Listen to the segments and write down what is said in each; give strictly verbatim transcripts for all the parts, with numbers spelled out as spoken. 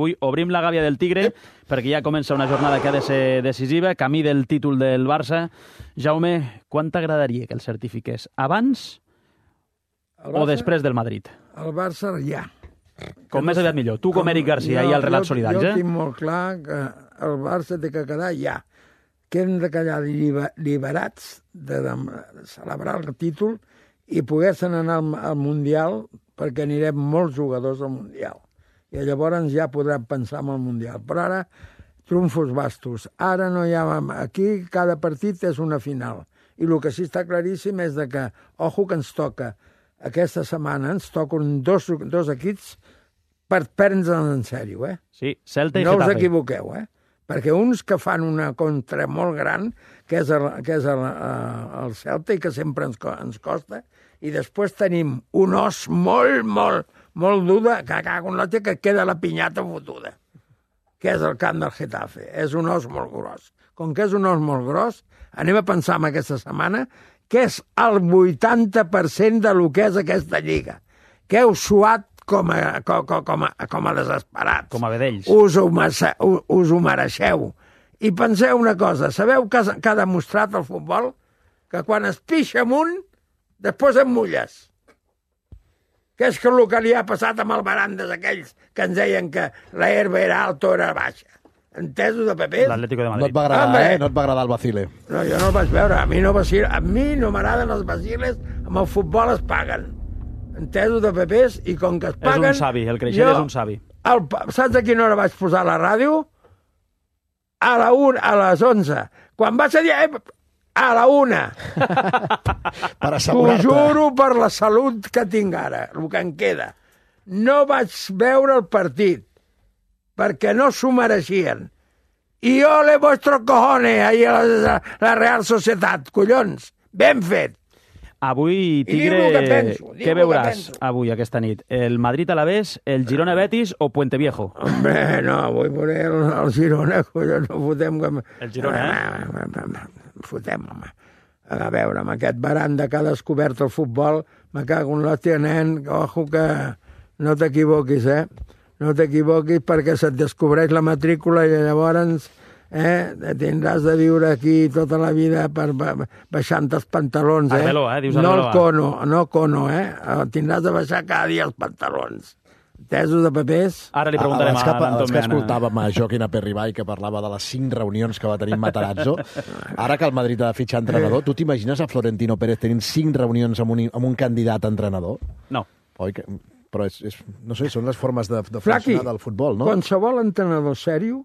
Avui obrim la gàbia del Tigre perquè ja comença una jornada que ha de ser decisiva, camí del títol del Barça. Jaume, quan t'agradaria que el certifiqués? Abans Barça, o després del Madrid? El Barça ja. Com més aviat millor. Tu com Eric Garcia i el relat jo, solidaris, jo eh? Jo tinc molt clar que el Barça té que quedar ja. Que hem de quedar liberats de, de celebrar el títol i poguessin anar al, al Mundial, perquè anirem molts jugadors al Mundial. I llavors ja podrem pensar en el Mundial. Però ara, trumfos bastos. Ara no hi ha... Aquí cada partit és una final. I el que sí està claríssim és de que, ojo que ens toca, aquesta setmana ens toquen dos, dos equips per prendre'ns en sèrio, eh? Sí, Celta i no Getafe. No us equivoqueu, eh? Perquè uns que fan una contra molt gran, que és el, que és el, el Celta i que sempre ens, ens costa, i després tenim un os molt, molt, molt dur que cago en l'altre que queda la pinyata fotuda, que és el camp del Getafe. És un os molt gros. Com que és un os molt gros, anem a pensar en aquesta setmana que és el vuitanta per cent de lo que és aquesta lliga. Que heu suat com a, com, com, a, com a desesperats. Com a vedells. Us ho, us ho mereixeu. I penseu una cosa, sabeu que, que ha demostrat el futbol? Que quan es pixa amunt, després em mulles. Que és que el que li ha passat amb el Barandes aquells que ens deien que la herba era alta o era baixa. Entesos de Pepés? L'Atlético de Madrid. No et va agradar, Hombre. eh? No et va agradar el vacile. No, jo no el vaig veure. A mi no, vacil... a mi no m'agraden els vaciles. Amb el futbol es paguen. Entesos de Pepés, i com que es paguen... És un savi, el Creixell és un savi. El, saps a quina hora vaig posar la ràdio? A la una, a les onze. Quan vaig a dir... Eh, a la una. Per assegurar-te. T'ho juro per la salut que tinc ara, el que em queda. No vaig veure el partit, perquè no s'ho mereixien. I ole vostros cojones, ahí a la, la Real Societat, collons. Ben fet. Avui, Tigre, que penso, què veuràs avui, aquesta nit? El Madrid-Alavés, el Girona-Betis o Puente Viejo? Hombre, no, avui veuré el, el Girona, collons, no fotem... Com... El Girona, eh? Fotem, home. A veure, amb aquest baranda que ha descobert el futbol, me cago en l'hòstia, nen, ojo que no t'equivoquis, eh? No t'equivoquis perquè se't descobreix la matrícula i llavors eh, tindràs de viure aquí tota la vida per baixant els pantalons, eh? Arbeló, eh? Dius no Arbeló, el cono, no cono, eh? Tindràs de baixar cada dia els pantalons. Tesos de papers. Ara li preguntarem a, a l'Anton Els que escoltàvem a Joaquín Aperribay, que parlava de les cinc reunions que va tenir Matarazzo. Ara que el Madrid ha de fitxar entrenador, tu t'imagines a Florentino Pérez tenint cinc reunions amb un, amb un candidat a entrenador? No. Oi que... Però és, és, no sé, són les formes de, de Flaqui, funcionar del futbol, no? Qualsevol entrenador sèrio,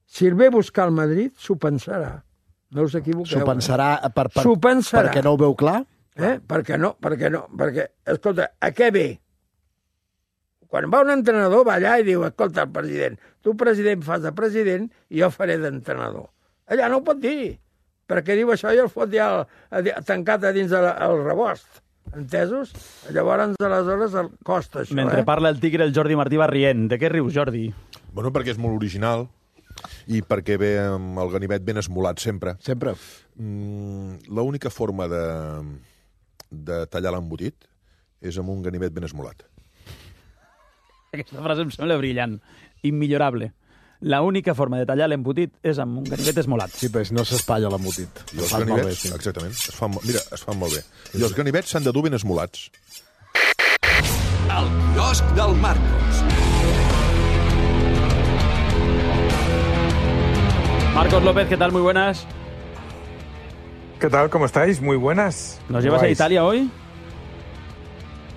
si el ve a buscar el Madrid, s'ho pensarà. No us equivoqueu. S'ho pensarà, per, per, S'ho pensarà. perquè no ho veu clar? Eh? Perquè no, perquè no. Perquè, escolta, a què ve? Quan va un entrenador, va allà i diu, escolta, el president, tu, president, fas de president i jo faré d'entrenador. Allà no ho pot dir, perquè diu això i el fot ja el, tancat a dins el, el rebost. Entesos? Llavors, aleshores, el costa això, Mentre eh? parla el Tigre, el Jordi Martí va rient. De què rius, Jordi? Bueno, perquè és molt original i perquè ve amb el ganivet ben esmolat sempre. Sempre. Mm, l'única forma de, de tallar l'embotit és amb un ganivet ben esmolat. Aquesta frase em sembla brillant. Immillorable. La única forma de tallar l'embotit és amb un ganivet esmolat. Sí, però no s'espatlla l'embotit. I els ganivets, sí. Exactament, es fan, mira, es fan molt bé. I els ganivets s'han de dur ben esmolats. El quiosc del Marcos. Marcos López, ¿qué tal? Muy buenas. ¿Qué tal? ¿Cómo estáis? Muy buenas. ¿Nos llevas a Italia hoy?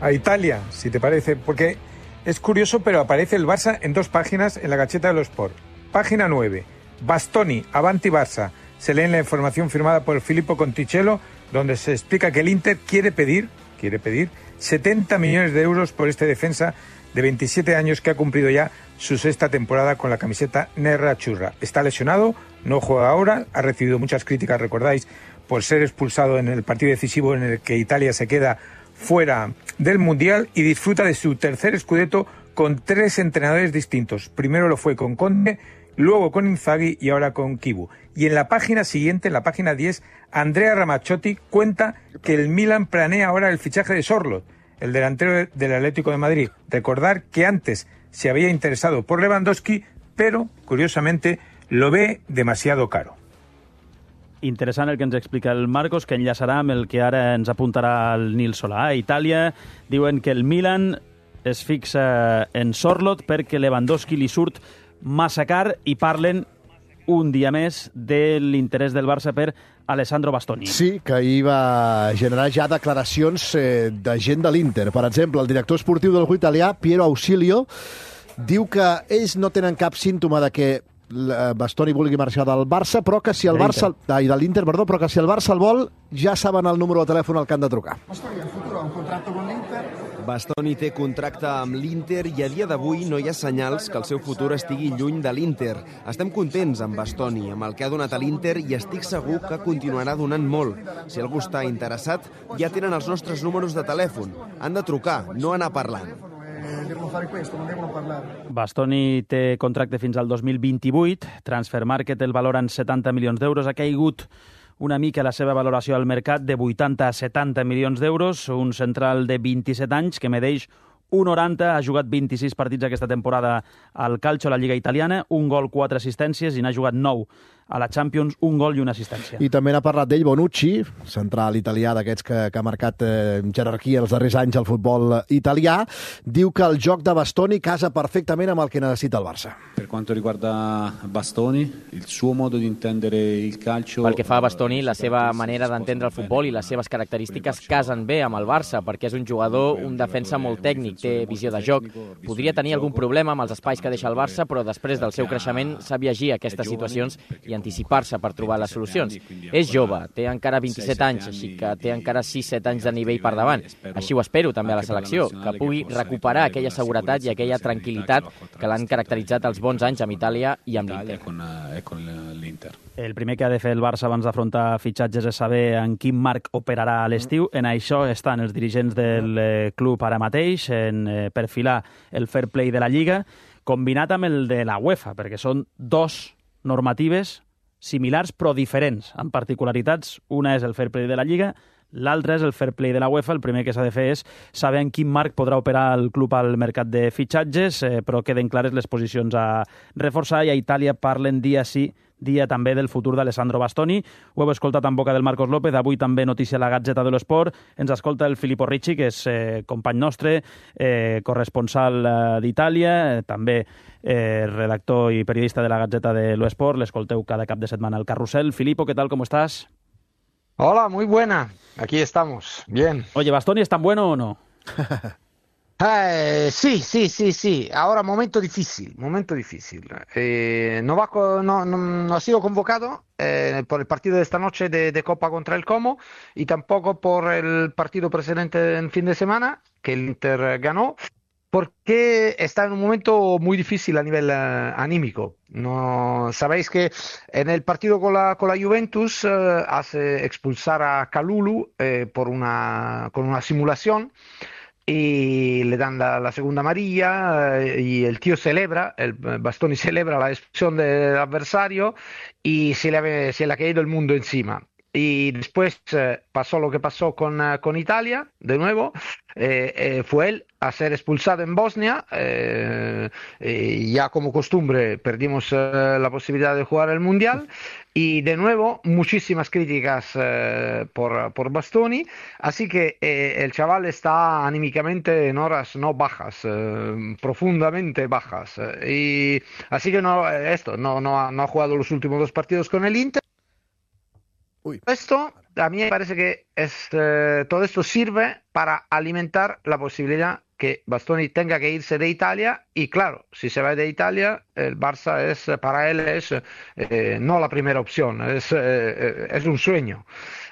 A Italia, si te parece, porque es curioso, pero aparece el Barça en dos páginas en la Gazzetta dello Sport. Página nueve, Bastoni, Avanti Barça. Se lee en la información firmada por Filippo Conticello, donde se explica que el Inter quiere pedir, quiere pedir setenta millones de euros por este defensa de veintisiete años que ha cumplido ya su sexta temporada con la camiseta Nerazzurra. Está lesionado, no juega ahora, ha recibido muchas críticas, recordáis, por ser expulsado en el partido decisivo en el que Italia se queda fuera del Mundial, y disfruta de su tercer scudetto con tres entrenadores distintos. Primero lo fue con Conte, luego con Inzaghi y ahora con Kibu. Y en la página siguiente, en la página diez, Andrea Ramazzotti cuenta que el Milan planea ahora el fichaje de Sorloth, el delantero del Atlético de Madrid. Recordar que antes se había interesado por Lewandowski, pero, curiosamente, lo ve demasiado caro. Interessant el que ens explica el Marcos, que enllaçarà amb el que ara ens apuntarà el Nil Solà. A Itàlia diuen que el Milan es fixa en Sorloth perquè Lewandowski li surt massa car i parlen un dia més de l'interès del Barça per Alessandro Bastoni. Sí, que ahir va generar ja declaracions eh, de gent de l'Inter. Per exemple, el director esportiu del club italià, Piero Ausilio, diu que ells no tenen cap símptoma de que Bastoni vulgui marxar del Barça, però que si el Barça... Ai, de l'Inter, perdó, però que si el Barça el vol, ja saben el número de telèfon al que han de trucar. Bastoni, el futur ha un contracte con l'Inter. Bastoni té contracte amb l'Inter i a dia d'avui no hi ha senyals que el seu futur estigui lluny de l'Inter. Estem contents amb Bastoni, amb el que ha donat a l'Inter, i estic segur que continuarà donant molt. Si algú està interessat, ja tenen els nostres números de telèfon. Han de trucar, no anar parlant. Bastoni té contracte fins al dos mil vint-i-vuit. Transfermarkt el valora en setanta milions d'euros. Ha caigut una mica la seva valoració al mercat de vuitanta a setanta milions d'euros. Un central de vint-i-set anys que medeix un noranta, ha jugat vint-i-sis partits aquesta temporada al Calcio, a la Lliga Italiana, un gol, quatre assistències, i n'ha jugat nou a la Champions, un gol i una assistència. I també n'ha parlat d'ell Bonucci, central italià d'aquests que, que ha marcat eh, jerarquia els darrers anys al futbol italià. Diu que el joc de Bastoni casa perfectament amb el que necessita el Barça. Per quanto riguarda Bastoni, il suo modo di intendere il calcio... Pel que fa a Bastoni, la seva manera d'entendre el futbol i les seves característiques casen bé amb el Barça, perquè és un jugador, un defensa molt tècnic, té visió de joc. Podria tenir algun problema amb els espais que deixa el Barça, però després del seu creixement sap llegir aquestes situacions i anticipar-se per trobar les solucions. És jove, té encara vint-i-set anys, així que té encara sis set anys de nivell per davant. Així ho espero també a la selecció, que pugui recuperar aquella seguretat i aquella tranquil·litat que l'han caracteritzat els bons anys amb Itàlia i amb l'Inter. El primer que ha de fer el Barça abans d'afrontar fitxatges és saber en quin marc operarà a l'estiu. En això estan els dirigents del club ara mateix, en perfilar el fair play de la Lliga, combinat amb el de la UEFA, perquè són dos normatives similars però diferents, amb particularitats. Una és el fair play de la Lliga, l'altre és el fair play de la UEFA. El primer que s'ha de fer és saber en quin marc podrà operar el club al mercat de fitxatges, eh, però queden clares les posicions a reforçar, i a Itàlia parlen dia sí, dia també del futur d'Alessandro Bastoni. Ho heu escoltat en boca del Marcos López, avui també notícia a la Gazzetta dello Sport. Ens escolta el Filippo Ricci, que és eh, company nostre, eh, corresponsal eh, d'Itàlia, eh, també eh, redactor i periodista de la Gazzetta dello Sport. L'escolteu cada cap de setmana al Carrusel. Filippo, ¿qué tal? ¿Cómo estás? Hola, muy buena. Aquí estamos. Bien. Oye, ¿Bastoni es tan bueno o no? Eh, sí, sí, sí, sí. Ahora momento difícil, momento difícil. Eh, no, va, no, no, no ha sido convocado eh, por el partido de esta noche de, de Copa contra el Como, y tampoco por el partido precedente en fin de semana, que el Inter ganó, porque está en un momento muy difícil a nivel uh, anímico. No, sabéis que en el partido con la, con la Juventus uh, hace expulsar a Kalulu eh, por una, con una simulación, y le dan la, la segunda amarilla, eh, y el tío celebra, el Bastoni celebra la expulsión del adversario, y se le, ha, se le ha caído el mundo encima. Y después eh, pasó lo que pasó con, uh, con Italia, de nuevo, eh, eh, fue él a ser expulsado en Bosnia, eh, eh, ya como costumbre perdimos eh, la posibilidad de jugar el Mundial, y de nuevo muchísimas críticas eh, por, por Bastoni, así que eh, el chaval está anímicamente en horas no bajas, eh, profundamente bajas, eh, y así que no, esto, no, no, ha, no ha jugado los últimos dos partidos con el Inter. Uy. Esto a mí me parece que es, eh, todo esto sirve para alimentar la posibilidad que Bastoni tenga que irse de Italia, y claro, si se va de Italia, el Barça es, para él es eh, no la primera opción, es, eh, es un sueño.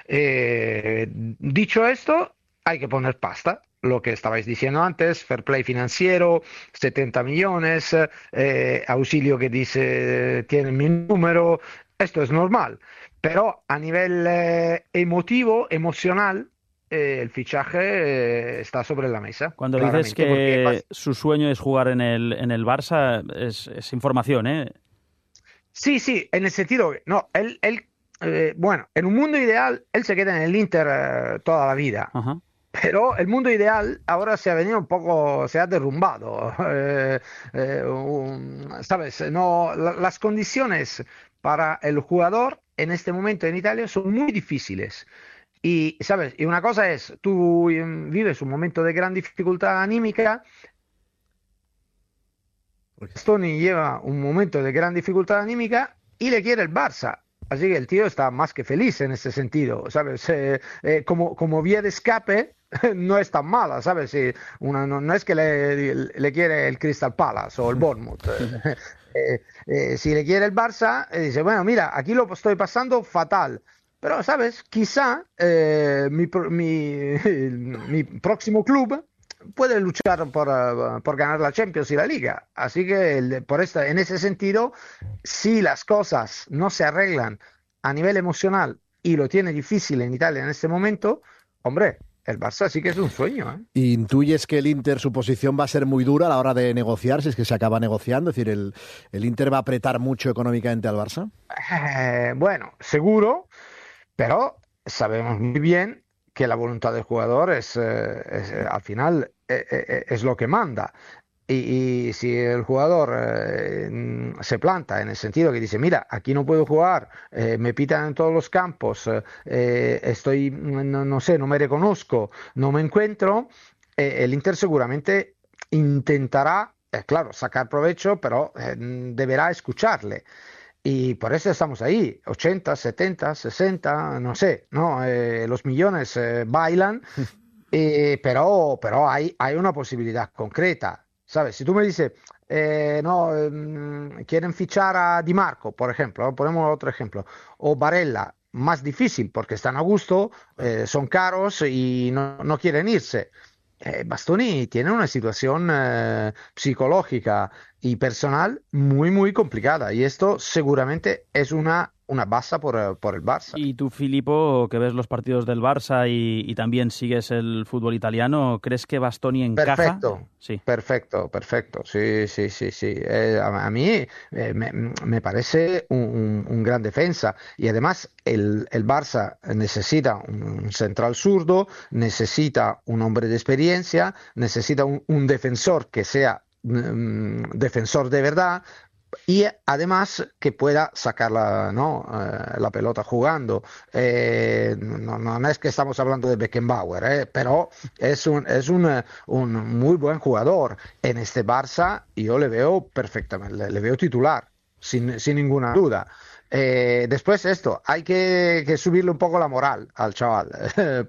Eh, dicho esto, hay que poner pasta. Lo que estabais diciendo antes, fair play financiero, setenta millones, eh, Ausilio que dice tiene mi número, esto es normal. Pero a nivel eh, emotivo, emocional, eh, el fichaje eh, está sobre la mesa. Cuando dices que porque... su sueño es jugar en el, en el Barça, es, es información, ¿eh? Sí, sí, en el sentido, no, él, él eh, bueno, en un mundo ideal, él se queda en el Inter eh, toda la vida. Ajá. Pero el mundo ideal ahora se ha venido un poco, se ha derrumbado. Eh, eh, um, ¿Sabes? No, la, las condiciones para el jugador en este momento en Italia son muy difíciles. Y, ¿sabes? Y una cosa es, tú vives un momento de gran dificultad anímica. Bastoni lleva un momento de gran dificultad anímica y le quiere el Barça. Así que el tío está más que feliz en ese sentido, ¿sabes? Eh, eh, como, como vía de escape no es tan mala, ¿sabes? Si una, no, no es que le, le quiere el Crystal Palace o el Bournemouth. eh, eh, si le quiere el Barça, eh, dice, bueno, mira, aquí lo estoy pasando fatal. Pero, ¿sabes? Quizá eh, mi, mi, mi próximo club puede luchar por, uh, por ganar la Champions y la Liga. Así que el, por esta, en ese sentido, si las cosas no se arreglan a nivel emocional y lo tiene difícil en Italia en este momento, hombre, el Barça sí que es un sueño, ¿eh? ¿Intuyes que el Inter, su posición va a ser muy dura a la hora de negociar, si es que se acaba negociando? Es decir, ¿el, el Inter va a apretar mucho económicamente al Barça? Eh, bueno, seguro, pero sabemos muy bien que la voluntad del jugador es, eh, es al final eh, eh, es lo que manda. Y, y si el jugador eh, se planta en el sentido que dice, mira, aquí no puedo jugar, eh, me pitan en todos los campos, eh, estoy, no, no sé, no me reconozco, no me encuentro, eh, el Inter seguramente intentará, eh, claro, sacar provecho, pero eh, deberá escucharle. Y por eso estamos ahí, ochenta, setenta, sesenta, no sé, ¿no? Eh, los millones eh, bailan, eh, pero, pero hay, hay una posibilidad concreta, ¿sabes? Si tú me dices, eh, no, eh, quieren fichar a Di Marco, por ejemplo, ponemos otro ejemplo, o Barella, más difícil porque están a gusto, eh, son caros y no, no quieren irse. Eh, Bastoni tiene una situación eh, psicológica y personal muy, muy complicada. Y esto seguramente es una, una baza por, por el Barça. Y tú, Filippo, que ves los partidos del Barça y, y también sigues el fútbol italiano, ¿crees que Bastoni encaja? Perfecto, sí. perfecto, perfecto. Sí, sí, sí, sí. Eh, a, a mí eh, me, me parece un, un, un gran defensa. Y además el, el Barça necesita un central zurdo, necesita un hombre de experiencia, necesita un, un defensor que sea defensor de verdad y además que pueda sacar la, ¿no? eh, la pelota jugando. Eh, no, no es que estamos hablando de Beckenbauer, eh, pero es, un, es un, un muy buen jugador. En este Barça yo le veo perfectamente, le, le veo titular, sin, sin ninguna duda. Eh, después esto, hay que, que subirle un poco la moral al chaval,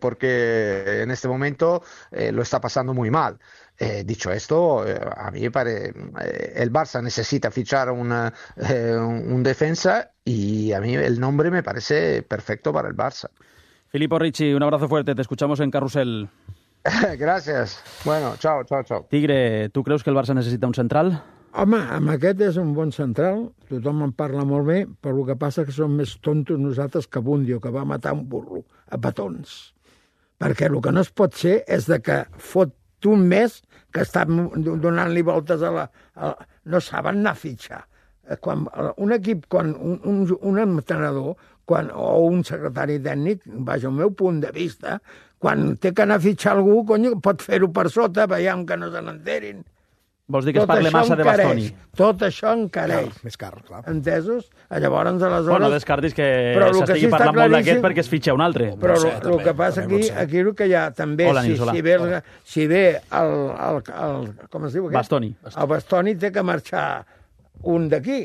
porque en este momento eh, lo está pasando muy mal. Eh, dicho esto, eh, a mí me parece eh, el Barça necesita fichar una, eh, un defensa y a mí el nombre me parece perfecto para el Barça. Filippo Ricci, un abrazo fuerte, te escuchamos en Carrusel. Gràcies. Bueno, chao, chao, chao. Tigre, tu creus que el Barça necessita un central? Home, amb aquest és un bon central, tothom en parla molt bé, però el que passa que som més tontos nosaltres que Bundio, que va matar un burro a petons. Perquè el que no es pot ser és de que fot un mes que està donant-li voltes a la... A, no saben anar a fitxar. Quan, un equip, quan un, un, un entrenador quan, o un secretari tècnic, vaja, el meu punt de vista, quan té que anar a fitxar algú, cony, pot fer-ho per sota, veiem que no se n'enterin. Vols dir que es parla massa de Bastoni? Tot això encareix. Car, més car, clar. Entesos? Llavors, aleshores... Bueno, descartis que s'estigui sí parlant molt d'aquest perquè es fitxa un altre. Però el no sé, que passa aquí, aquí el que hi ha també, Hola, si, si, ve, el, si ve el, el, el... Com es diu aquest? Bastoni. El Bastoni té que marxar un d'aquí.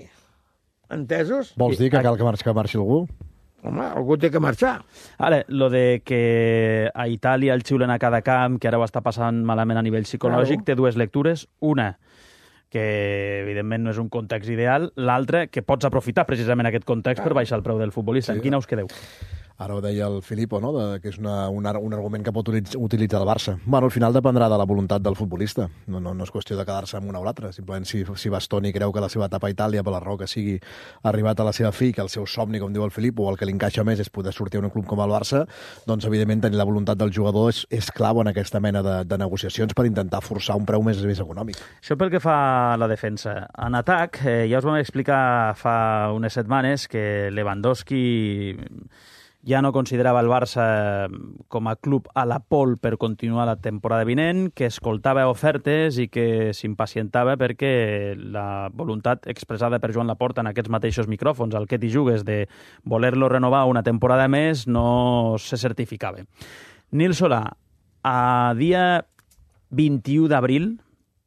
Entesos? Vols dir que cal que marxi, que marxi algú? Home, algú té que marxar. Ara, lo de que a Itàlia el xiulen a cada camp, que ara ho està passant malament a nivell psicològic, claro. Té dues lectures. Una, que evidentment no és un context ideal. L'altra, que pots aprofitar precisament aquest context claro. Per baixar el preu del futbolista. Sí. En quina us quedeu? Ara ho deia el Filippo, no? De, que és una, un, un argument que pot utilitzar el Barça. Bueno, al final dependrà de la voluntat del futbolista. No, no, no és qüestió de quedar-se amb una o l'altra. Simplement, si, si Bastoni creu que la seva etapa a Itàlia, per la raó que sigui, ha arribat a la seva fi, que el seu somni, com diu el Filippo, o el que li encaixa més és poder sortir a un club com el Barça, doncs, evidentment, tenir la voluntat del jugador és, és clau en aquesta mena de, de negociacions per intentar forçar un preu més, més econòmic. Això pel que fa a la defensa. En atac, eh, ja us vam explicar fa unes setmanes que Lewandowski... ja no considerava el Barça com a club a la pol per continuar la temporada vinent, que escoltava ofertes i que s'impacientava perquè la voluntat expressada per Joan Laporta en aquests mateixos micròfons, al que t'hi jugues, de voler-lo renovar una temporada més, no se certificava. Nil Solà, a dia vint-i-u d'abril,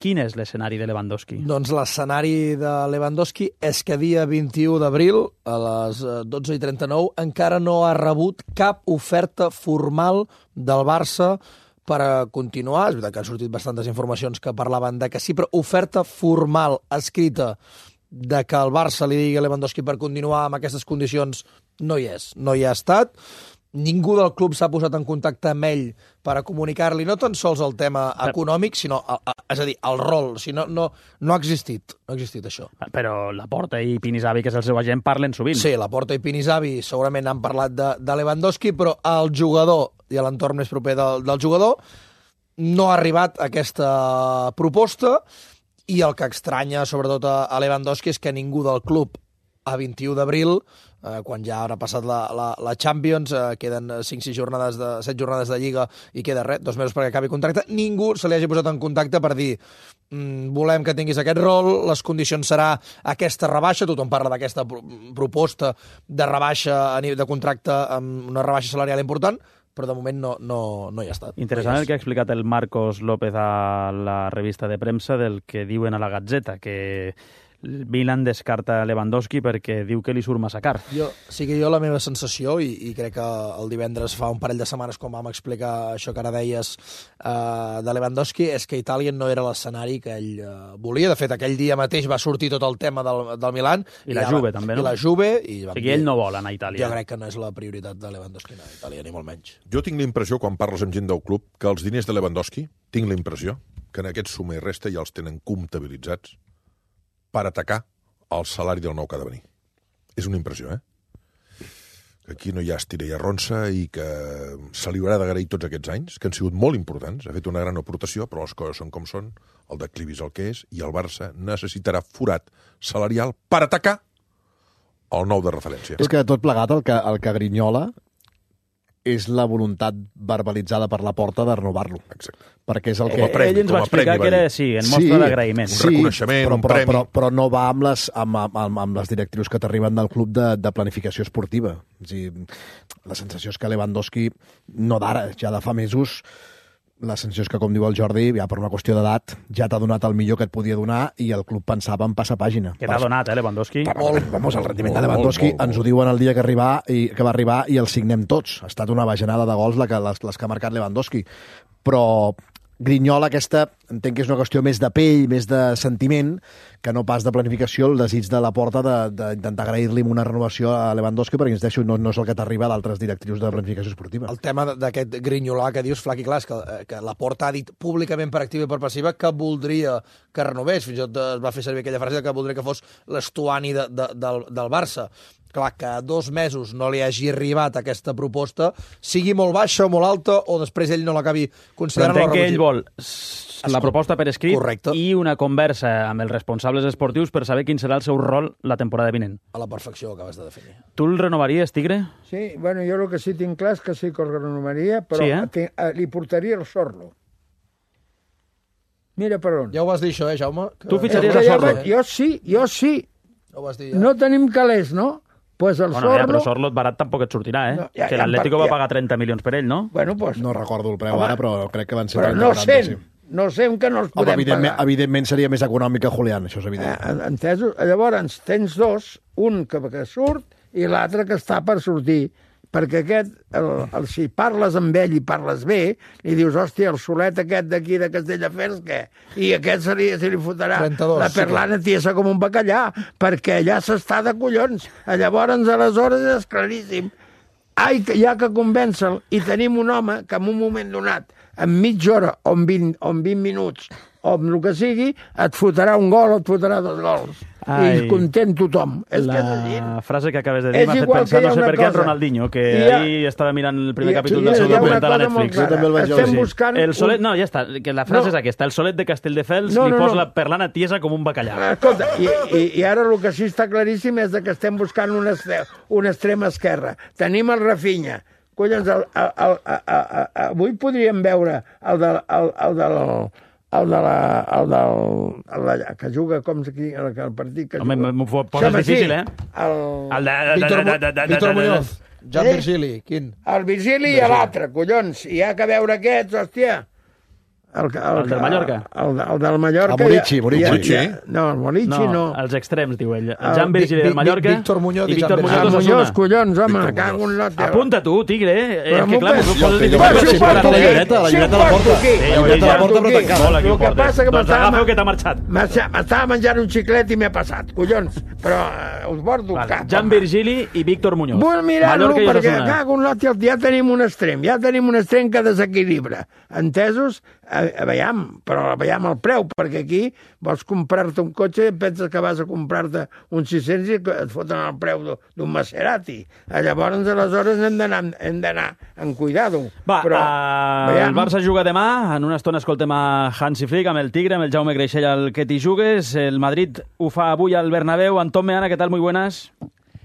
quin és l'escenari de Lewandowski? Doncs l'escenari de Lewandowski és que dia vint-i-u d'abril, a les dotze i trenta-nou, encara no ha rebut cap oferta formal del Barça per a continuar. És veritat que han sortit bastantes informacions que parlaven de que sí, però oferta formal, escrita, de que el Barça li digui a Lewandowski per continuar amb aquestes condicions no hi és, no hi ha estat. Ningú del club s'ha posat en contacte amb ell per a comunicar-li no tan sols el tema econòmic, sinó, és a dir, el rol. O sigui, no, no, no ha existit, no ha existit això. Però Laporta i Pinisavi, que és el seu agent, parlen sovint. Sí, Laporta i Pinisavi segurament han parlat de, de Lewandowski, però el jugador i l'entorn més proper del, del jugador no ha arribat a aquesta proposta, i el que estranya, sobretot a, a Lewandowski, és que ningú del club a vint-i-u d'abril, eh, quan ja haurà passat la, la, la Champions, eh, queden cinc sis jornades de, set jornades de Lliga i queda res, dos mesos perquè acabi contracte, ningú se li hagi posat en contacte per dir mm, volem que tinguis aquest rol, les condicions serà aquesta rebaixa, tothom parla d'aquesta proposta de rebaixa de contracte amb una rebaixa salarial important, però de moment no, no, no hi ha estat. Interessant no el que ha explicat el Marcos López a la revista de premsa del que diuen a la Gazzetta, que Milan descarta Lewandowski perquè diu que li surt massa car. Jo, sí que jo la meva sensació, i, i crec que el divendres fa un parell de setmanes quan vam explicar això que ara deies uh, de Lewandowski, és que Itàlia no era l'escenari que ell uh, volia. De fet, aquell dia mateix va sortir tot el tema del, del Milan. I, i la Juve, va, també, no? I la Juve. I o sigui, ell no vol anar a Itàlia. Jo crec que no és la prioritat de Lewandowski anar a Itàlia, ni molt menys. Jo tinc la impressió, quan parles amb gent del club, que els diners de Lewandowski, tinc la impressió que en aquest suma i resta ja els tenen comptabilitzats per atacar el salari del nou que ha de venir. És una impressió, eh? Que aquí no hi ha estira i arronsa i que se li haurà d'agrair tots aquests anys, que han sigut molt importants, ha fet una gran aportació, però les coses són com són, el declivi és el que és, i el Barça necessitarà forat salarial per atacar el nou de referència. És que tot plegat el que, el que grinyola és la voluntat verbalitzada per Laporta de renovar-lo. Exacte. Perquè és el que... Premi, ell ens va explicar premi, que era, sí, en mostra sí, d'agraïment. Un sí, reconeixement, però, un però, premi. Però, però no va amb les, amb, amb, amb les directrius que t'arriben del club de, de planificació esportiva. És dir, la sensació és que Lewandowski, no d'ara, ja de fa mesos, la sensació és que, com diu el Jordi, ja per una qüestió d'edat, ja t'ha donat el millor que et podia donar i el club pensava en passar pàgina. Que t'ha donat, eh, Lewandowski? Molt, vamos, el rendiment de Lewandowski molt, molt, molt. Ens ho diuen el dia que, arribar i, que va arribar i el signem tots. Ha estat una bajanada de gols la que, les, les que ha marcat Lewandowski. Però grinyola aquesta, entenc que és una qüestió més de pell, més de sentiment, que no pas de planificació, el desig de Laporta d'intentar agrair-li una renovació a Lewandowski, perquè ens deixo, no, no és el que t'arriba d'altres directrius de planificació esportiva. El tema d'aquest grinyolar que dius, Flac i clar, és que, que Laporta ha dit públicament per activa i per passiva que voldria que renovés, fins i tot es va fer servir aquella frase que voldria que fos l'Estuani de, de, del, del Barça. Clar, que a dos mesos no li hagi arribat aquesta proposta, sigui molt baixa o molt alta, o després ell no l'acabi considerant... Però entenc que ell vol la proposta per escrit. Correcte. I una conversa amb els responsables esportius per saber quin serà el seu rol la temporada vinent. A la perfecció ho acabes de definir. Tu el renovaries, Tigre? Sí, bueno, jo el que sí tinc clar és que sí que el renovaria, però sí, eh? tinc, eh, li portaria el Sorlo. Mira per on. Ja ho vas dir això, eh, Jaume? Que... Tu fitxaries a Sorlo? Jo, jo sí, jo sí. Ho vas dir, ja. No tenim calés, no? Pues el bueno, Sorlo... ja, però Sorlo barat tampoc et sortirà, eh? No, ja, que l'Atlético ja, va pagar trenta milions per ell, no? Bueno, pues... No recordo el preu home, ara, però crec que van ser... Però no cent, sí. no sé que no els podem home, evidentment, pagar. Evidentment seria més econòmic que Julián, això és evident. Eh, entesos? Llavors tens dos, un que, que surt i l'altre que està per sortir, perquè aquest, el, el, si parles amb ell i parles bé, li dius, hòstia, el solet aquest d'aquí de Castelldefels, què? I aquest se li, se li fotrà trenta-dos, la perlana sí. tiesa com un bacallà, perquè allà s'està de collons. Llavors, aleshores, és claríssim. Ai, que hi ha que convèncer-lo. I tenim un home que en un moment donat, en mitja hora o en vint, o en vint minuts, o amb el que sigui, et fotrà un gol o et fotrà dos gols. Ai. I content tothom. És la que és així. frase que acabes de dir m'ha fet pensar, no sé per què, en Ronaldinho, que ha... ahir estava mirant el primer ha... capítol del seu documental a Netflix. Estem buscant... El solet, no, ja està, que la frase no. és aquesta. El solet de Castelldefels no, no, li posa no. la perlana tiesa com un bacallà. Escolta, i, i, i ara el que sí està claríssim és que estem buscant una, una extrema esquerra. Tenim el Rafinha. Collons, el, el, el, el, el, el, avui podríem veure el del... El, el del el de la... El del... El de, que juga com aquí, el, el partit que Home, juga... Home, m'ho poses difícil, eh? El... El de... Víctor, Víctor Muñoz. Jan Virgili, quin? El Virgili i l'altre, collons. I hi ha que veure aquests, hòstia. El, el, el del Mallorca? El, el, el del Mallorca. El Morici, Morici. Ja, ja, no, el Morici no. No, els extrems, diu ell. El Jan Virgili del Mallorca Víctor Muñoz i Víctor Muñoz. Ah, Muñoz, collons, home, cago en lot. Apunta tu, tigre. És que clar, m'ho poses difícil. La llibreta, la llibreta a la porta. La llibreta a la porta, però tancada. El que passa que doncs agafeu que t'ha marxat. M'estava menjant un xiclet i m'he passat, collons. Però us porto cap. Jan Virgili i Víctor Muñoz. Vull mirar-lo perquè cago en lot, ja tenim un extrem, ja tenim un extrem que desequilibra. Entesos? Veiem, però veiem el preu, perquè aquí vols comprar-te un cotxe i penses que vas a comprar-te un sis-cents i et foten el preu d'un Maserati. Llavors, aleshores, hem d'anar en cuidado. Va, però, uh, el Barça juga demà, en una estona escoltem a Hansi Flick, amb el Tigre, amb el Jaume Greixell, al que t'hi jugues. El Madrid ho fa avui al Bernabéu. Antón Meana, ¿qué tal? Muy buenas.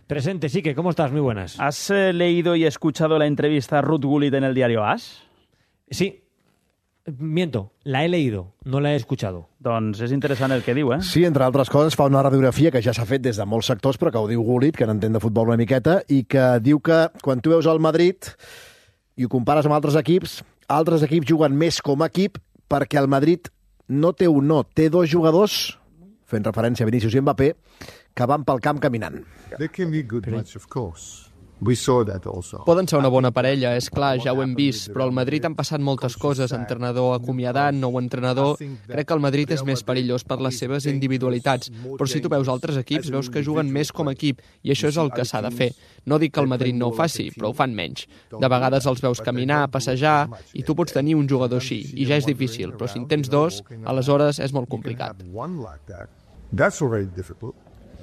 Presente, sí, que ¿cómo estás? Muy buenas. ¿Has eh, leído y escuchado la entrevista a Ruud Gullit en el diario AS? Sí. Miento, la he leído, no la he escuchado. Doncs és interessant el que diu, eh? Sí, entre altres coses, fa una radiografia que ja s'ha fet des de molts sectors, però que ho diu Gullit, que n'entén de futbol una miqueta, i que diu que quan tu veus el Madrid i ho compares amb altres equips, altres equips juguen més com a equip perquè el Madrid no té un no, té dos jugadors, fent referència a Vinícius i Mbappé, que van pel camp caminant. They can be good match, of course. We saw that also. Poden ser una bona parella, és clar, ja ho hem vist, però al Madrid han passat moltes coses, entrenador acomiadat, nou entrenador... Crec que el Madrid és més perillós per les seves individualitats, però si tu veus altres equips, veus que juguen més com a equip, i això és el que s'ha de fer. No dic que el Madrid no ho faci, però ho fan menys. De vegades els veus caminar, passejar, i tu pots tenir un jugador així, i ja és difícil, però si en tens dos, aleshores és molt complicat. That's already difficult.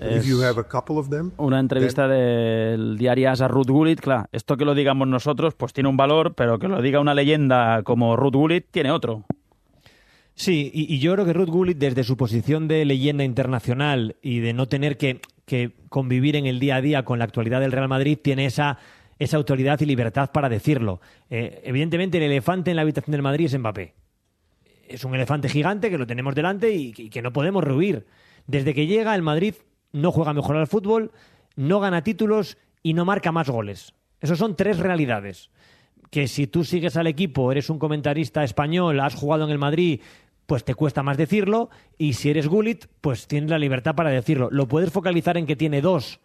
If you have a couple of them, una entrevista then... del diario AS a Ruud Gullit, claro, esto que lo digamos nosotros pues tiene un valor, pero que lo diga una leyenda como Ruud Gullit tiene otro. Sí, y, y yo creo que Ruud Gullit, desde su posición de leyenda internacional y de no tener que, que convivir en el día a día con la actualidad del Real Madrid, tiene esa, esa autoridad y libertad para decirlo. Eh, evidentemente, el elefante en la habitación del Madrid es Mbappé. Es un elefante gigante que lo tenemos delante y, y que no podemos rehuir. Desde que llega, el Madrid no juega mejor al fútbol, no gana títulos y no marca más goles. Esas son tres realidades. Que si tú sigues al equipo, eres un comentarista español, has jugado en el Madrid, pues te cuesta más decirlo, y si eres Gullit, pues tienes la libertad para decirlo. Lo puedes focalizar en que tiene dos,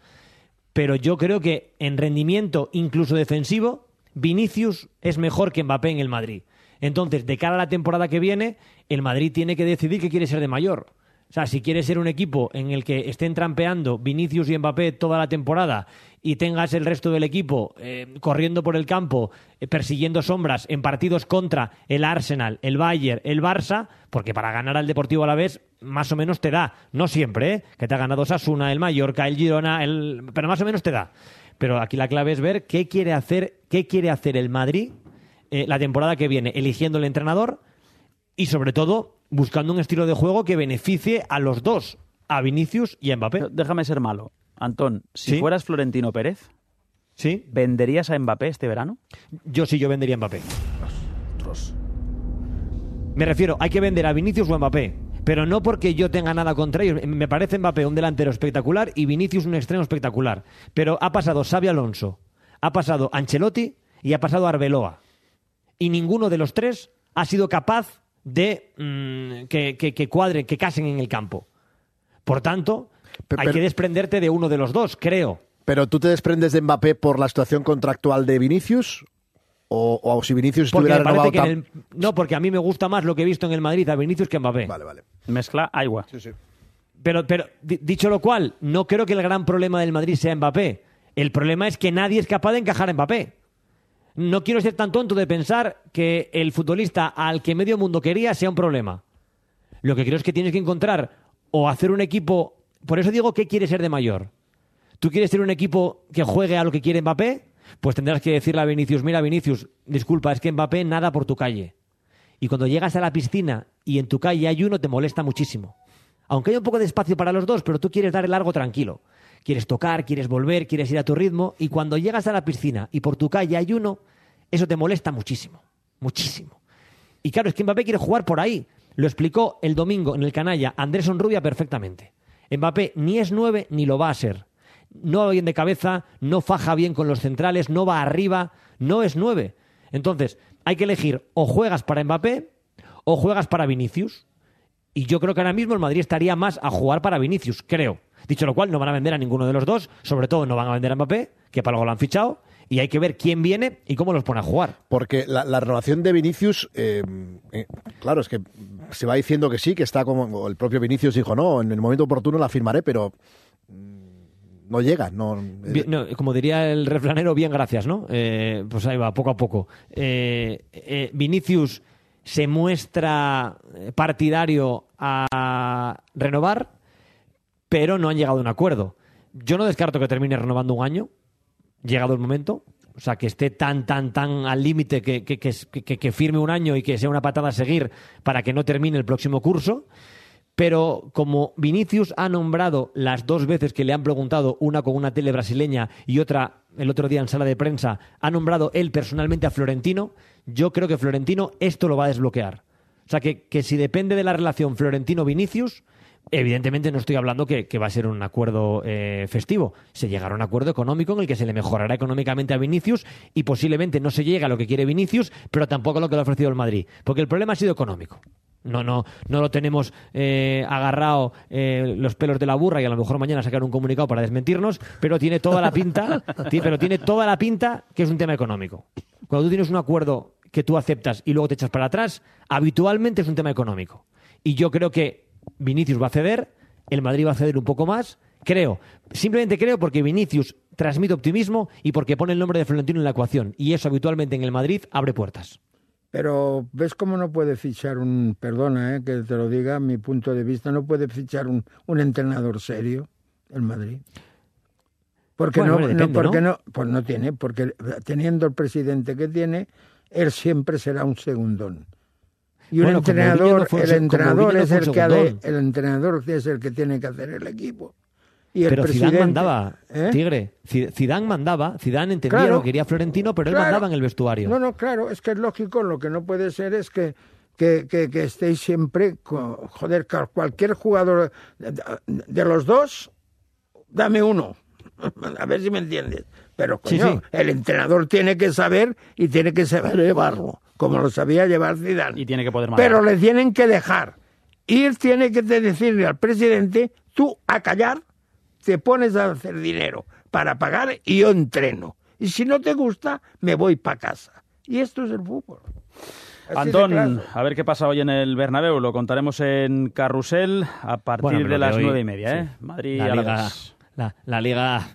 pero yo creo que en rendimiento, incluso defensivo, Vinicius es mejor que Mbappé en el Madrid. Entonces, de cara a la temporada que viene, el Madrid tiene que decidir qué quiere ser de mayor. O sea, si quieres ser un equipo en el que estén trampeando Vinicius y Mbappé toda la temporada y tengas el resto del equipo eh, corriendo por el campo, eh, persiguiendo sombras en partidos contra el Arsenal, el Bayern, el Barça, porque para ganar al Deportivo Alavés más o menos te da. No siempre, ¿eh? Que te ha ganado Osasuna, el Mallorca, el Girona, el... pero más o menos te da. Pero aquí la clave es ver qué quiere hacer, qué quiere hacer el Madrid eh, la temporada que viene, eligiendo el entrenador y sobre todo buscando un estilo de juego que beneficie a los dos, a Vinicius y a Mbappé. Pero déjame ser malo. Antón, si ¿Sí? fueras Florentino Pérez, ¿sí? ¿venderías a Mbappé este verano? Yo sí, yo vendería a Mbappé. Ostras. Me refiero, hay que vender a Vinicius o a Mbappé, pero no porque yo tenga nada contra ellos. Me parece Mbappé un delantero espectacular y Vinicius un extremo espectacular. Pero ha pasado Xabi Alonso, ha pasado Ancelotti y ha pasado Arbeloa. Y ninguno de los tres ha sido capaz de mmm, que, que, que cuadren, que casen en el campo. Por tanto, pero, hay que desprenderte de uno de los dos, creo. ¿Pero tú te desprendes de Mbappé por la situación contractual de Vinicius? ¿O, o si Vinicius porque estuviera renovado? Que en el, no, porque a mí me gusta más lo que he visto en el Madrid a Vinicius que a Mbappé. Vale, vale. Mezcla agua. Sí, sí. Pero, pero, dicho lo cual, no creo que el gran problema del Madrid sea Mbappé. El problema es que nadie es capaz de encajar a Mbappé. No quiero ser tan tonto de pensar que el futbolista al que medio mundo quería sea un problema. Lo que creo es que tienes que encontrar o hacer un equipo por eso digo, ¿qué quiere ser de mayor? ¿Tú quieres tener un equipo que juegue a lo que quiere Mbappé? Pues tendrás que decirle a Vinicius, mira Vinicius, disculpa, es que Mbappé nada por tu calle. Y cuando llegas a la piscina y en tu calle hay uno, te molesta muchísimo. Aunque hay un poco de espacio para los dos, pero tú quieres dar el largo tranquilo. Quieres tocar, quieres volver, quieres ir a tu ritmo. Y cuando llegas a la piscina y por tu calle hay uno, eso te molesta muchísimo. Muchísimo. Y claro, es que Mbappé quiere jugar por ahí. Lo explicó el domingo en el canalla Andrés Onrubia perfectamente. Mbappé ni es nueve ni lo va a ser. No va bien de cabeza, no faja bien con los centrales, no va arriba, no es nueve. Entonces, hay que elegir o juegas para Mbappé o juegas para Vinicius. Y yo creo que ahora mismo el Madrid estaría más a jugar para Vinicius, creo. Dicho lo cual, no van a vender a ninguno de los dos, sobre todo no van a vender a Mbappé, que para algo lo han fichado, y hay que ver quién viene y cómo los pone a jugar. Porque la, la renovación de Vinicius, eh, eh, claro, es que se va diciendo que sí, que está como el propio Vinicius dijo, no, en el momento oportuno la firmaré, pero no llega. No, bien, no, como diría el refranero, bien, gracias, ¿no? Eh, pues ahí va, poco a poco. Eh, eh, Vinicius se muestra partidario a renovar, pero no han llegado a un acuerdo. Yo no descarto que termine renovando un año, llegado el momento, o sea, que esté tan, tan, tan al límite que, que, que, que, que firme un año y que sea una patada a seguir para que no termine el próximo curso. Pero como Vinicius ha nombrado las dos veces que le han preguntado, una con una tele brasileña y otra el otro día en sala de prensa, ha nombrado él personalmente a Florentino, yo creo que Florentino esto lo va a desbloquear. O sea, que, que si depende de la relación Florentino-Vinicius, evidentemente no estoy hablando que, que va a ser un acuerdo eh, festivo. Se llegará a un acuerdo económico en el que se le mejorará económicamente a Vinicius y posiblemente no se llegue a lo que quiere Vinicius, pero tampoco a lo que le ha ofrecido el Madrid. Porque el problema ha sido económico. No, no, no lo tenemos eh, agarrado eh, los pelos de la burra y a lo mejor mañana sacar un comunicado para desmentirnos, pero tiene toda la pinta, tí, pero tiene toda la pinta que es un tema económico. Cuando tú tienes un acuerdo que tú aceptas y luego te echas para atrás, habitualmente es un tema económico. Y yo creo que Vinicius va a ceder, el Madrid va a ceder un poco más, creo, simplemente creo porque Vinicius transmite optimismo y porque pone el nombre de Florentino en la ecuación, y eso habitualmente en el Madrid abre puertas. Pero ¿ves cómo no puede fichar un, perdona eh, que te lo diga, mi punto de vista, no puede fichar un, un entrenador serio el Madrid? Porque, bueno, no, hombre, depende, no, porque ¿no? no, pues no tiene, porque teniendo el presidente que tiene, él siempre será un segundón. Y un bueno, entrenador, no fue, el entrenador no es el que ha de, el entrenador es el que tiene que hacer el equipo. Y el pero presidente, Zidane mandaba, ¿eh? Tigre. Zidane mandaba, Zidane entendía claro, lo que quería Florentino, pero claro, él mandaba en el vestuario. No, no, claro, es que es lógico, lo que no puede ser es que, que, que, que estéis siempre, con, joder, cualquier jugador de, de los dos, dame uno, a ver si me entiendes. Pero, coño, sí, sí. el entrenador tiene que saber y tiene que saber llevarlo, como lo sabía llevar Zidane. Y tiene que poder mandar. Pero le tienen que dejar. Y él tiene que decirle al presidente, tú a callar, te pones a hacer dinero para pagar y yo entreno. Y si no te gusta, me voy para casa. Y esto es el fútbol. Así Antón, a ver qué pasa hoy en el Bernabéu. Lo contaremos en Carrusel a partir bueno, de las hoy, nueve y media. Sí. ¿eh? Madrid la a Liga, la, la Liga...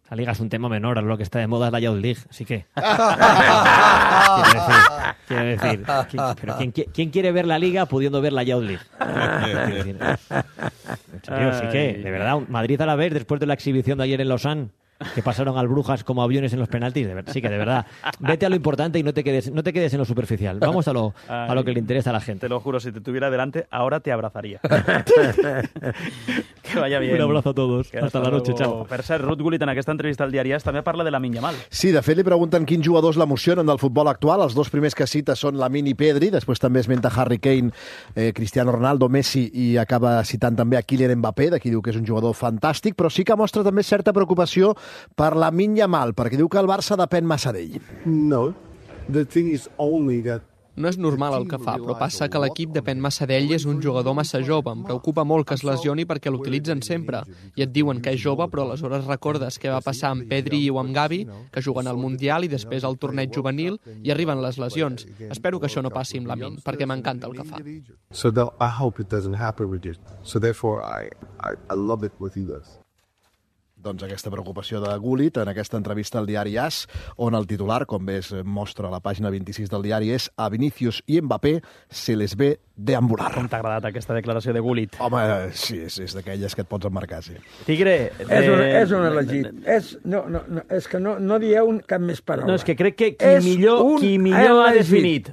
La Liga es un tema menor, lo que está de moda es la Youth League, así que... quiero decir, quiero decir ¿quién, pero ¿quién, ¿quién quiere ver la Liga pudiendo ver la Youth League? En serio, sí que, de verdad, Madrid a la vez, después de la exhibición de ayer en Lausanne, que pasaron al Brujas como aviones en los penaltis, de verdad, sí que de verdad, vete a lo importante y no te quedes, no te quedes en lo superficial. Vamos a lo, a lo que le interesa a la gente. Te lo juro, si te tuviera delante, ahora te abrazaría. Que vaya bien. Un abrazo a todos. Que hasta, hasta la noche, chao. Per cert, Ruth Gullit en aquesta entrevista al Diari AS també parla de Lamine Yamal. Sí, de fet li pregunten quins jugadors l'emocionen del futbol actual. Els dos primers que cita són Lamine i Pedri, després també esmenta Harry Kane, eh, Cristiano Ronaldo, Messi i acaba citant també a Kylian Mbappé, de qui diu que és un jugador fantàstic, però sí que mostra també certa preocupació per Lamine Yamal, perquè diu que el Barça depèn massa d'ell. No, the thing is only that no és normal el que fa, però passa que l'equip depèn massa d'ell i és un jugador massa jove. Em preocupa molt que es lesioni perquè l'utilitzen sempre. I et diuen que és jove, però aleshores recordes què va passar amb Pedri o amb Gavi, que juguen al Mundial i després al torneig juvenil i arriben les lesions. Espero que això no passi amb Lamine, perquè m'encanta el que fa. So that I hope it doesn't happen with it. So therefore I, I, I love it what he does. doncs, aquesta preocupació de Gullit en aquesta entrevista al diari A S, on el titular, com bé es mostra a la pàgina vint-i-sis del diari, és a Vinícius i Mbappé se les ve deambular. Com t'ha agradat aquesta declaració de Gullit? Home, sí, és, és d'aquelles que et pots emmarcar, sí. Tigre... De... És, un, és un elegit. És, no, no, no, és que no, no dieu un, cap més paraula. No, és que crec que qui és millor, qui millor ha elegit. definit,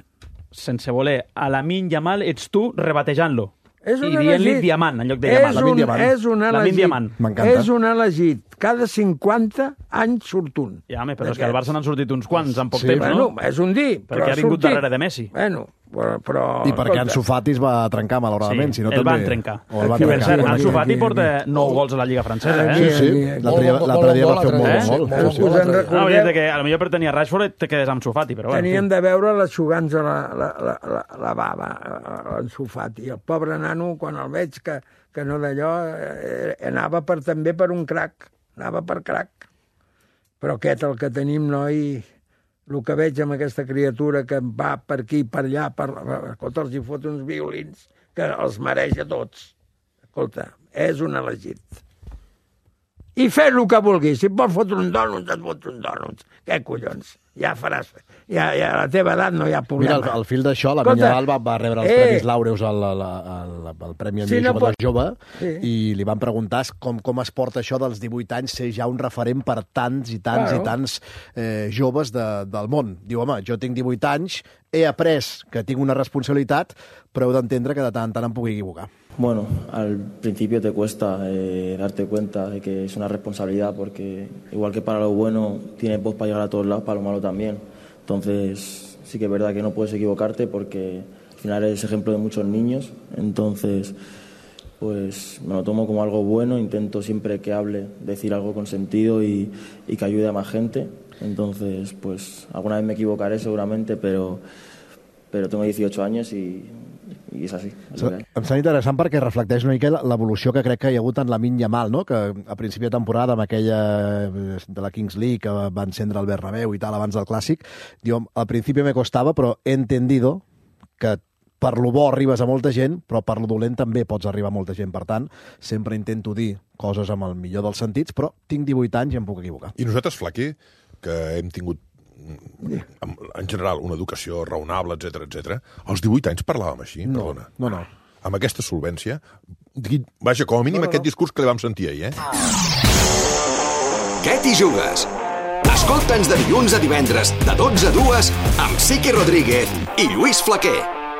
sense voler, a Lamine Yamal ets tu rebatejant-lo. És I un dient-li elegit. Diamant, en lloc de Yamal. És Lamine un, Diamant. és un Lamine elegit. Diamant. M'encanta. És un elegit. Cada cinquanta anys surt un. Ja, home, però és que al Barça n'han sortit uns quants en poc Sí. temps, Bueno, no? és un dir, Perquè però ha vingut sortit. darrere de Messi. Bueno, però... però I perquè escolta, Ansu Fati es va trencar, malauradament. Sí, si no, el també... van trencar. O el van Per trencar. cert, aquí, Ansu Fati aquí, porta aquí. nou gols a la Lliga francesa, eh? Sí, sí. Aquí, aquí. L'altre dia, l'altre dia va fer un molt Eh? bon gol. Molt Sí, sí. bon gol. No, recordeu- és que potser per tenir Rashford te quedes amb Ansu Fati, però bueno. Tenien de veure les xugants a la, la, la, la, la bava, l'Ansu Fati. El pobre nano, quan el veig que, que no d'allò, eh, anava per, també per un crac. Anava per crac. Però aquest, el que tenim, noi, el que veig amb aquesta criatura que va per aquí, per allà, per, escolta, els hi fot uns violins que els mereix a tots. Escolta, és un elegit. I fes el que vulguis. Si et vols fotre un dònuts, et fots un dònuts. Què collons? Ja faràs... Ja, ja a la teva edat no hi ha Mira, problema. al, al fil d'això, la Escolta, Minya va, va rebre els eh, Premis Laureus al, al, al, al Premi Sí, Millor no Jugador pot- Jove Sí. i li van preguntar com, com es porta això dels divuit anys ser ja un referent per tants i tants Claro. i tants eh, joves de, del món. Diu, home, jo tinc divuit anys, he après que tinc una responsabilitat, però heu d'entendre que de tant en tant em puc equivocar. Bueno, al principio te cuesta eh, darte cuenta de que es una responsabilidad porque igual que para lo bueno tienes voz para llegar a todos lados, para lo malo también. Entonces sí que es verdad que no puedes equivocarte porque al final eres ejemplo de muchos niños. Entonces pues me lo tomo como algo bueno, intento siempre que hable decir algo con sentido y, y que ayude a más gente. Entonces pues alguna vez me equivocaré seguramente, pero, pero tengo dieciocho años y... i és així. És Em sembla interessant perquè reflecteix una mica l'evolució que crec que hi ha hagut en Lamine Yamal, no? Que a principi de temporada, amb aquella de la Kings League, que va encendre el Bernabéu i tal, abans del Clàssic, diu, al principi me costava, però he entendido que per lo bo arribes a molta gent, però per lo dolent també pots arribar a molta gent. Per tant, sempre intento dir coses amb el millor dels sentits, però tinc divuit anys i em puc equivocar. I nosaltres, Flaquer, que hem tingut en general una educació raonable, etc etc. als divuit anys parlàvem així, No, perdona. no, no. Amb aquesta solvència, vaja, com a mínim No, no, no. aquest discurs que li vam sentir ahir, eh? Què t'hi jugues? Escolta'ns de dilluns a divendres, de dotze a dues, amb Siqui Rodríguez i Lluís Flaquer.